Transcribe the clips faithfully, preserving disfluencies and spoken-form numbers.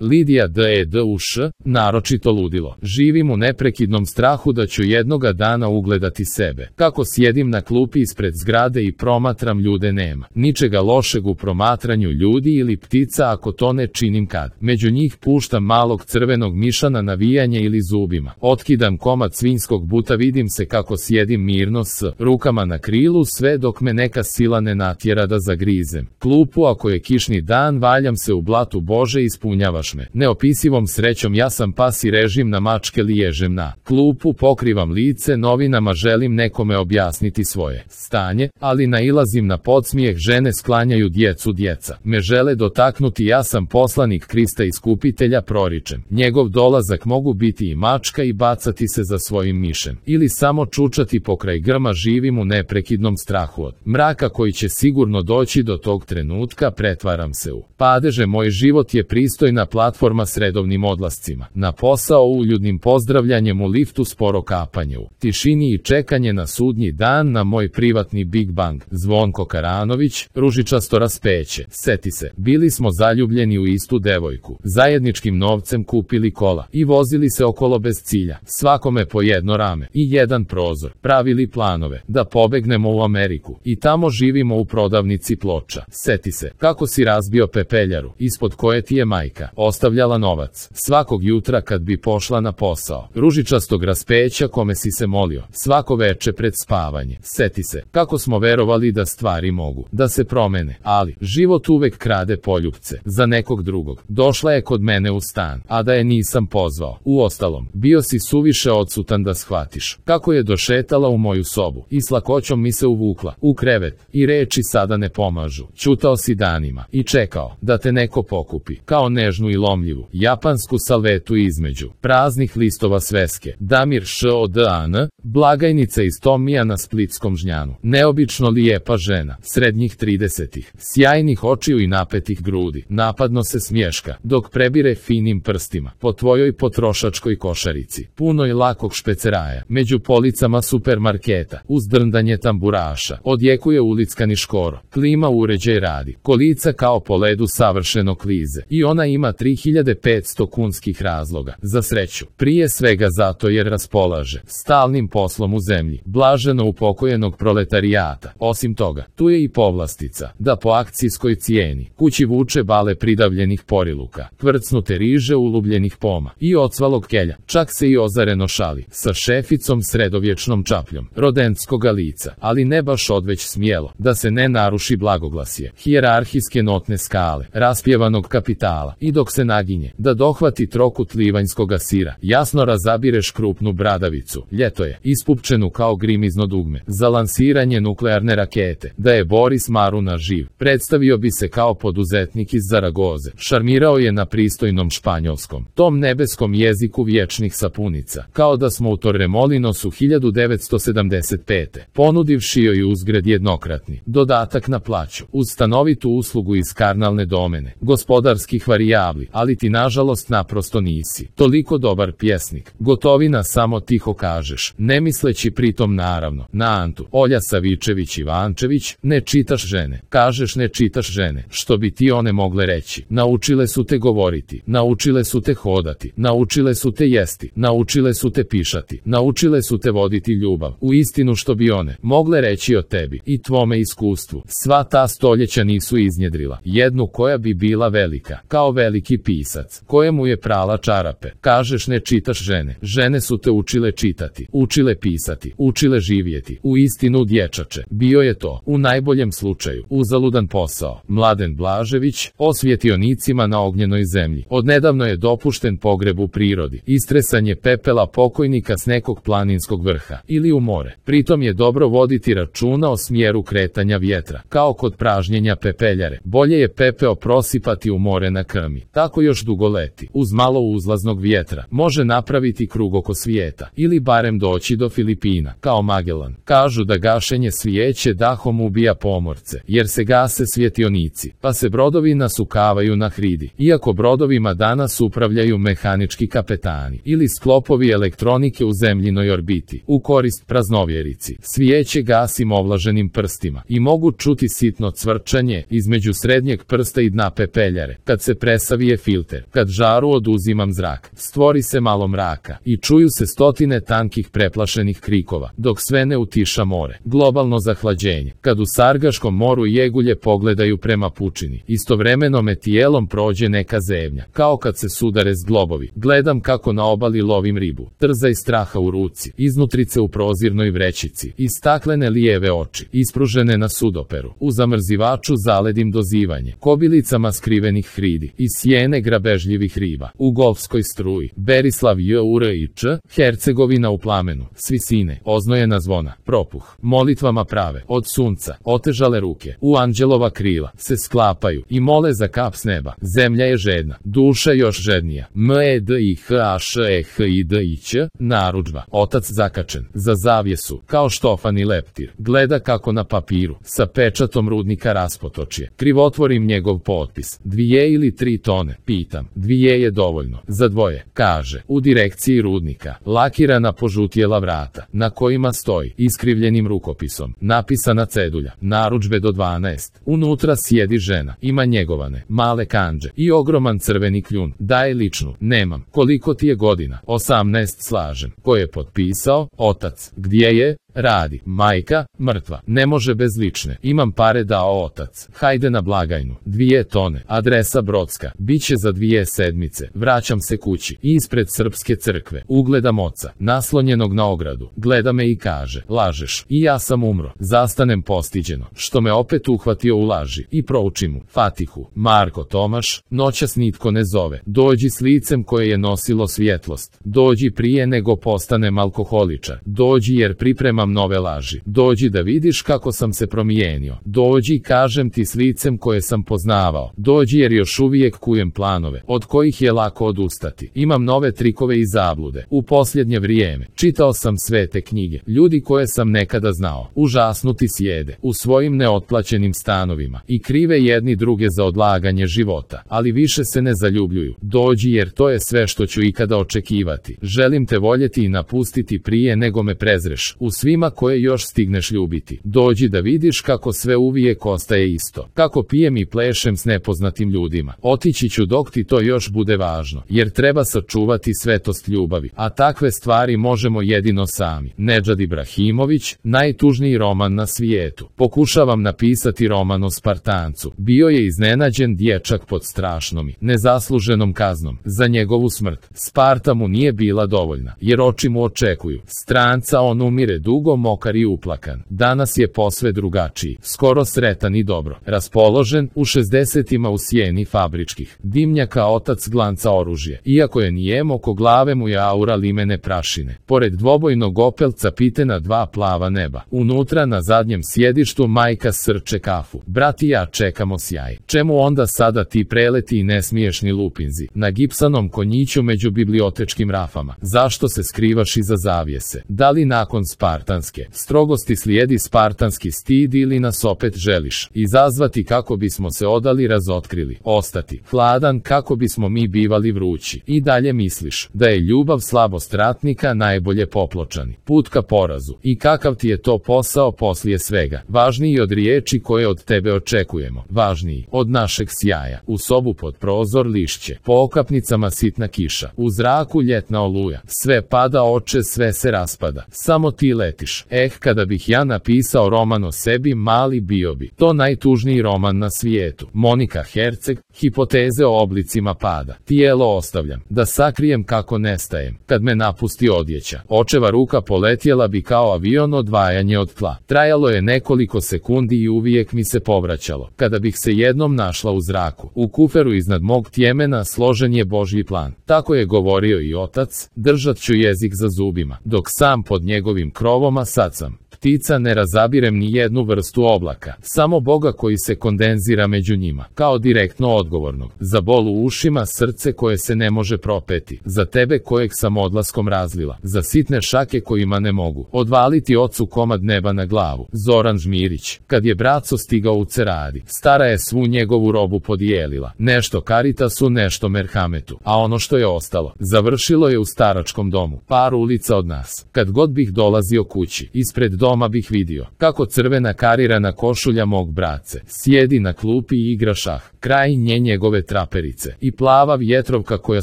Lidija D E D U Š, naročito ludilo. Živim u neprekidnom strahu da ću jednoga dana ugledati sebe. Kako sjedim na klupi ispred zgrade i promatram ljude, nema ničega lošeg u promatranju ljudi ili ptica ako to ne činim kad među njih puštam malog crvenog miša na navijanje ili zubima. Otkidam komad svinjskog buta, vidim se kako sjedim mirno s rukama na krilu sve dok me neka sila ne natjera da zagrizem klupu. Ako je kišni dan, valjam se u blatu, Bože, ispunjavaš me neopisivom srećom. Ja sam pas i režim na mačke, liježem na klupu, pokrivam lice novinama, želim nekome objasniti svoje stanje, ali nailazim na podsmijeh žene, sklanjaju djecu, djeca me žele dotaknuti. Ja sam poslanik Krista Iskupitelja, proričem njegov dolazak. Mogu biti i mačka i bacati se za svojim mišem ili samo čučati pokraj grma. Živim u neprekidnom strahu od mraka koji će sigurno doći do tog trenutka. Pretvaram se u padeže. Moj život je pristojna platforma s redovnim odlascima na posao, uljudnim pozdravljanjem u liftu, sporo kapanje u tišini i čekanje na sudnji dan, na moj privatni Big Bang. Zvonko Karanović, ružičasto raspeće. Seti se, bili smo zaljubljeni u istu devojku, zajedničkim novcem kupili kola i vozili se okolo bez cilja, svakome po jedno rame i jedan prozor. Pravili planove da pobegnemo u Ameriku i tamo živimo u prodavnici ploča. Seti se kako si razbio pepeljaru ispod koje ti je majka ostavljala novac svakog jutra kad bi pošla na posao. Ružičastog raspeća kome si se molio svako veče pred spavanje. Seti se kako smo verovali da stvari mogu da se promene, ali život uvek krade poljupce za nekog drugog. Došla je kod mene u stan, a da je nisam pozvao. Uostalom, bio si suviše odsutan da shvatiš kako je došetala u moju sobu i s lakoćom mi se uvukla u krevet i reči sada ne pomažu. Ćutao si danima i čekao da te neko pokupi kao nežnu i lomljivu japansku salvetu između praznih listova sveske. Damir Š O D A N, blagajnica iz Tomija na Splitskom Žnjanu. Neobično lijepa žena, srednjih tridesetih, sjajnih očiju i napetih grudi. Napadno se smješka dok prebire finim prstima po tvojoj potrošačkoj košarici, punoj lakog špeceraja. Među policama supermarketa, uz drndanje tamburaša, odjekuje ulickani škoro. Klima uređaj radi, kolica kao po ledu savršeno klize i ona ima tri hiljade petsto kunskih razloga za sreću. Prije svega zato jer raspolaže stalnim poslom u zemlji blaženo upokojenog proletarijata. Osim toga, tu je i povlastica da po akcijskoj cijeni kući vuče bale pridavljenih poriluka, kvrcnute riže ulubljenih poma i ocvalog kelja. Čak se i ozareno šali sa šeficom sredovječnom čapljom rodentskoga lica, ali ne baš odveć smjelo da se ne naruši blagoglasje hijerarhijske notne skale raspjevanog kapitala i dok se naginje da dohvati trokut livanjskoga sira, jasno razabireš krupnu bradavicu, ljeto je, ispupčenu kao grimizno dugme za lansiranje nuklearne rakete. Da je Boris Maruna živ, predstavio bi se kao poduzetnik iz Zaragoze. Šarmirao je na pristojnom španjolskom, tom nebeskom jeziku vječnih sapunica, kao da smo u Torremolinosu hiljadu devetsto sedamdeset pete ponudivši joj uzgred jednokratni dodatak na plaću uz stanovitu uslugu iz karnalne domene gospodarskih varijabli, ali ti nažalost naprosto nisi toliko dobar pjesnik. Gotovina, samo tiho kažeš, ne misleći pritom naravno na Antu, Olja Savičević Ivančević. Ne čitaš žene, kažeš ne čitaš žene, što bi ti one mogle reći. Naučile su te govoriti, naučile su te hodati, naučile su te jesti, naučile su te pišati, naučile su te voditi ljubav. U istinu, što bi one mogle reći o tebi i tvome iskustvu, sva ta stoljeća nisu iznjedrila jednu koja bi bila velika, kao veliki pisac, kojemu je prala čarape. Kažeš ne čitaš žene, žene su te učile čitati, učile pisati, učile živjeti. U istinu, dječače, bio je to, u najboljem slučaju, uzaludan posao. Mladen Blažević, o svjetionicima na ognjenoj zemlji. Odnedavno je dopušten pogreb u prirodi, istresanje pepela pokojnika s nekog planinskog vrha ili u more. Pritom je dobro voditi računa o smjeru kretanja vjetra, kao kod pražnjenja pepeljare. Bolje je pepeo prosipati u more na krmi, tako još dugo leti. Uz malo uzlaznog vjetra može napraviti krug oko svijeta ili barem doći do Filipina, kao Magellan. Kažu da gašenje svijeće dahom ubija pomorce, jer se gase svjetionici, pa se brodovi nasukavaju na hridi. Iako brodovima danas upravljaju mehanički kapetani ili sklopovi elektronike u zemljinoj orbiti, u korist praznovjerici, svijeće gasim ovlaženim prstima i mogu čuti sitno cvrčanje između srednjeg prsta i dna pepeljare, kad se presavi Mali je filter, kad žaru oduzimam zrak, stvori se malo mraka i čuju se stotine tankih preplašenih krikova, dok sve ne utiša more. Globalno zahlađenje, kad u Sargaškom moru jegulje pogledaju prema pučini, istovremeno me tijelom prođe neka zevnja, kao kad se sudare zglobovi. Gledam kako na obali lovim ribu, trza i straha u ruci, iznutrice u prozirnoj vrećici, i staklene lijeve oči, ispružene na sudoperu. U zamrzivaču zaledim dozivanje, kobilicama skrivenih hridi, i sjene grabežljivih riba. U golfskoj struji, Berislav J U R I Č, Hercegovina u plamenu, svisine, oznojena zvona, propuh, molitvama prave, od sunca, otežale ruke, u anđelova krila, se sklapaju, i mole za kap s neba. Zemlja je žedna, duša još žednija. M E D I H A Š E H I D I Ć, narudžba, otac zakačen, za zavjesu, kao štofani leptir, gleda kako na papiru, sa pečatom rudnika raspotočje. Krivotvorim njegov potpis. Dvije ili tri tone, pitam. Dvije je dovoljno, za dvoje, kaže. U direkciji rudnika, lakirana požutjela vrata, na kojima stoji, iskrivljenim rukopisom, napisana cedulja, narudžbe do dvanaest. Unutra sjedi žena, ima njegovane, male kandže, i ogroman crveni kljun. Daje ličnu, nemam. Koliko ti je godina? osamnaest, slažem. Ko je potpisao? Otac. Gdje je? Radi. Majka? Mrtva. Ne može bez lične. Imam pare, dao otac. Hajde na blagajnu. Dvije tone. Adresa Brodska. Biće za dvije sedmice. Vraćam se kući. Ispred srpske crkve. Ugledam oca, naslonjenog na ogradu. Gleda me i kaže, lažeš. I ja sam umro. Zastanem postiđeno, što me opet uhvatio u laži, i proučim mu Fatihu. Marko Tomaš. Noćas nitko ne zove. Dođi s licem koje je nosilo svjetlost. Dođi prije nego postanem alkoholičar. Dođi jer pripremam nove laži. Dođi da vidiš kako sam se promijenio. Dođi, kažem ti, s licem koje sam poznavao. Dođi jer još uvijek kujem planove, od kojih je lako odustati. Imam nove trikove i zablude. U posljednje vrijeme čitao sam svete knjige. Ljudi koje sam nekada znao, užasnuti sjede u svojim neotplaćenim stanovima i krive jedni druge za odlaganje života, ali više se ne zaljubljuju. Dođi jer to je sve što ću ikada očekivati. Želim te voljeti i napustiti prije nego me prezreš. U svima koje još stigneš ljubiti. Dođi da vidiš kako sve uvijek ostaje isto. Kako pijem i plešem s nepoznatim ljudima. Otići ću dok ti to još bude važno, jer treba sačuvati svetost ljubavi, a takve stvari možemo jedino sami. Nedžad Ibrahimović, najtužniji roman na svijetu. Pokušavam napisati roman o Spartancu. Bio je iznenađen dječak pod strašnom i nezasluženom kaznom za njegovu smrt. Sparta mu nije bila dovoljna, jer oči mu očekuju stranca. On umire dugo, mokar i uplakan. Danas je posve drugačiji, skoro sretan i dobro raspoložen. U šezdesetima u sjeni fabričkih dimnjaka otac glanca oružje. Iako je nijem, oko glave mu je aura limene prašine. Pored dvobojnog opelca pitena dva plava neba. Unutra na zadnjem sjedištu majka srče kafu. Brat i ja čekamo sjaj. Čemu onda sada ti preleti i nesmiješni lupinzi na gipsanom konjiću među bibliotečkim rafama? Zašto se skrivaš iza zavjese? Da li nakon spartanske strogosti slijedi spartanski stid, ili nas opet želiš izazvati kako bismo se odali, razotkrili, ostati hladan kako bismo mi bivali vrući? I dalje misliš da je ljubav slabost ratnika, najbolje popločani put ka porazu? I kakav ti je to posao poslije svega? Važniji od riječi koje od tebe očekujemo, važniji od našeg sjaja. U sobu pod prozor lišće, po okapnicama sitna kiša, u zraku ljetna oluja, sve pada oče, sve se raspada, samo ti letiš. Eh, kada bih ja napisao roman o sebi, mali, bio bi to najtužniji roman na svijetu. Monika Herceg, hipoteze o oblicima pada. Tijelo ostavljam, da sakrijem kako nestajem. Kad me napusti odjeća, očeva ruka poletjela bi kao avion, odvajanje od tla. Trajalo je nekoliko sekundi i uvijek mi se povraćalo. Kada bih se jednom našla u zraku, u kuferu iznad mog tjemena složen je Božji plan. Tako je govorio i otac, držat ću jezik za zubima, dok sam pod njegovim krovoma sad sam ptica, ne razabirem ni jednu vrstu oblaka, samo Boga koji se kondenzira među njima, kao direktno odgovornog za bol u ušima, srce koje se ne može propeti, za tebe kojeg sam odlaskom razlila, za sitne šake kojima ne mogu odvaliti ocu komad neba na glavu. Zoran Žmirić. Kad je braco stigao u Ceradi, stara je svu njegovu robu podijelila, nešto Karitasu, nešto Merhametu, a ono što je ostalo, završilo je u staračkom domu, par ulica od nas. Kad god bih dolazio kući, ispred doma doma bih vidio kako crvena karirana košulja mog brace sjedi na klupi i igra šah, kraj nje njegove traperice i plava vjetrovka koja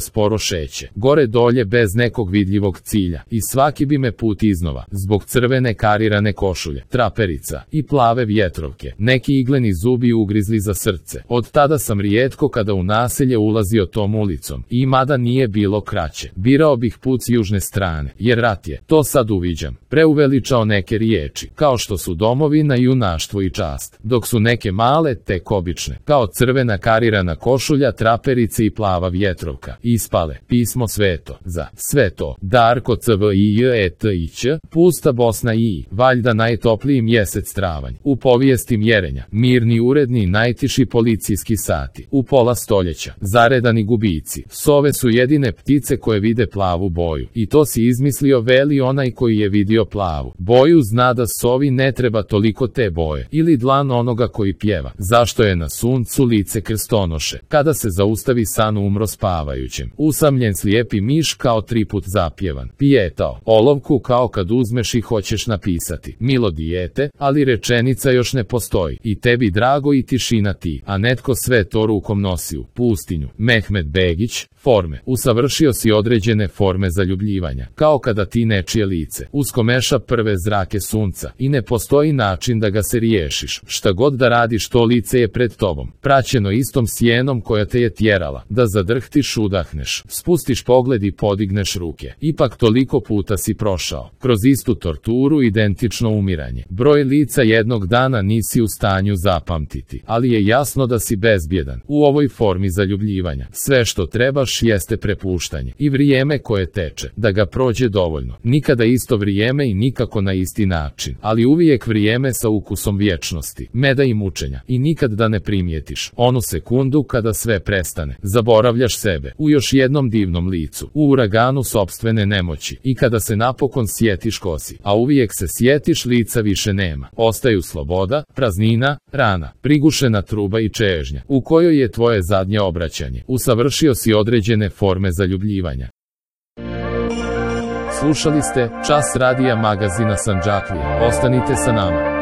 sporo šeće, gore dolje bez nekog vidljivog cilja i svaki bi me put iznova, zbog crvene karirane košulje, traperica i plave vjetrovke, neki igleni zubi ugrizli za srce. Od tada sam rijetko kada u naselje ulazio tom ulicom i mada nije bilo kraće, birao bih put s južne strane, jer rat je, to sad uviđam, preuveličao neke riječi, kao što su domovina, junaštvo i čast, dok su neke male tek obične, kao crvena karirana košulja, traperice i plava vjetrovka, ispale, pismo sveto, za sve to, Darko C V I J E T I Ć, pusta Bosna i, valjda najtopliji mjesec travanj, u povijesti mjerenja, mirni uredni najtiši policijski sati, u pola stoljeća, zaredani gubici, sove su jedine ptice koje vide plavu boju, i to si izmislio, veli onaj koji je vidio plavu boju, zna da sovi ne treba toliko te boje, ili dlan onoga koji pjeva, zašto je na suncu lice krstonoše, kada se zaustavi san umro spavajućem, usamljen slijepi miš kao triput zapjevan, pijetao, olovku kao kad uzmeš i hoćeš napisati, milo dijete, ali rečenica još ne postoji, i tebi drago i tišina ti, a netko sve to rukom nosi u pustinju, Mehmed Begić, forme, usavršio si određene forme zaljubljivanja, kao kada ti nečije lice uskomeša prve zrake sunca i ne postoji način da ga se riješiš, šta god da radiš to lice je pred tobom, praćeno istom sjenom koja te je tjerala, da zadrhtiš, udahneš, spustiš pogled i podigneš ruke, ipak toliko puta si prošao, kroz istu torturu, identično umiranje, broj lica jednog dana nisi u stanju zapamtiti, ali je jasno da si bezbjedan, u ovoj formi zaljubljivanja, sve što trebaš jeste prepuštanje i vrijeme koje teče, da ga prođe dovoljno, nikada isto vrijeme i nikako na isti način, ali uvijek vrijeme sa ukusom vječnosti, meda i mučenja, i nikad da ne primijetiš onu sekundu kada sve prestane, zaboravljaš sebe u još jednom divnom licu, u uraganu sopstvene nemoći, i kada se napokon sjetiš ko si, a uvijek se sjetiš, lica više nema, ostaju sloboda, praznina, rana, prigušena truba i čežnja, u kojoj je tvoje zadnje obraćanje, usavršio si određene forme zaljubljivanja. Slušali ste Čas radija magazina Sandžaklija, ostanite sa nama.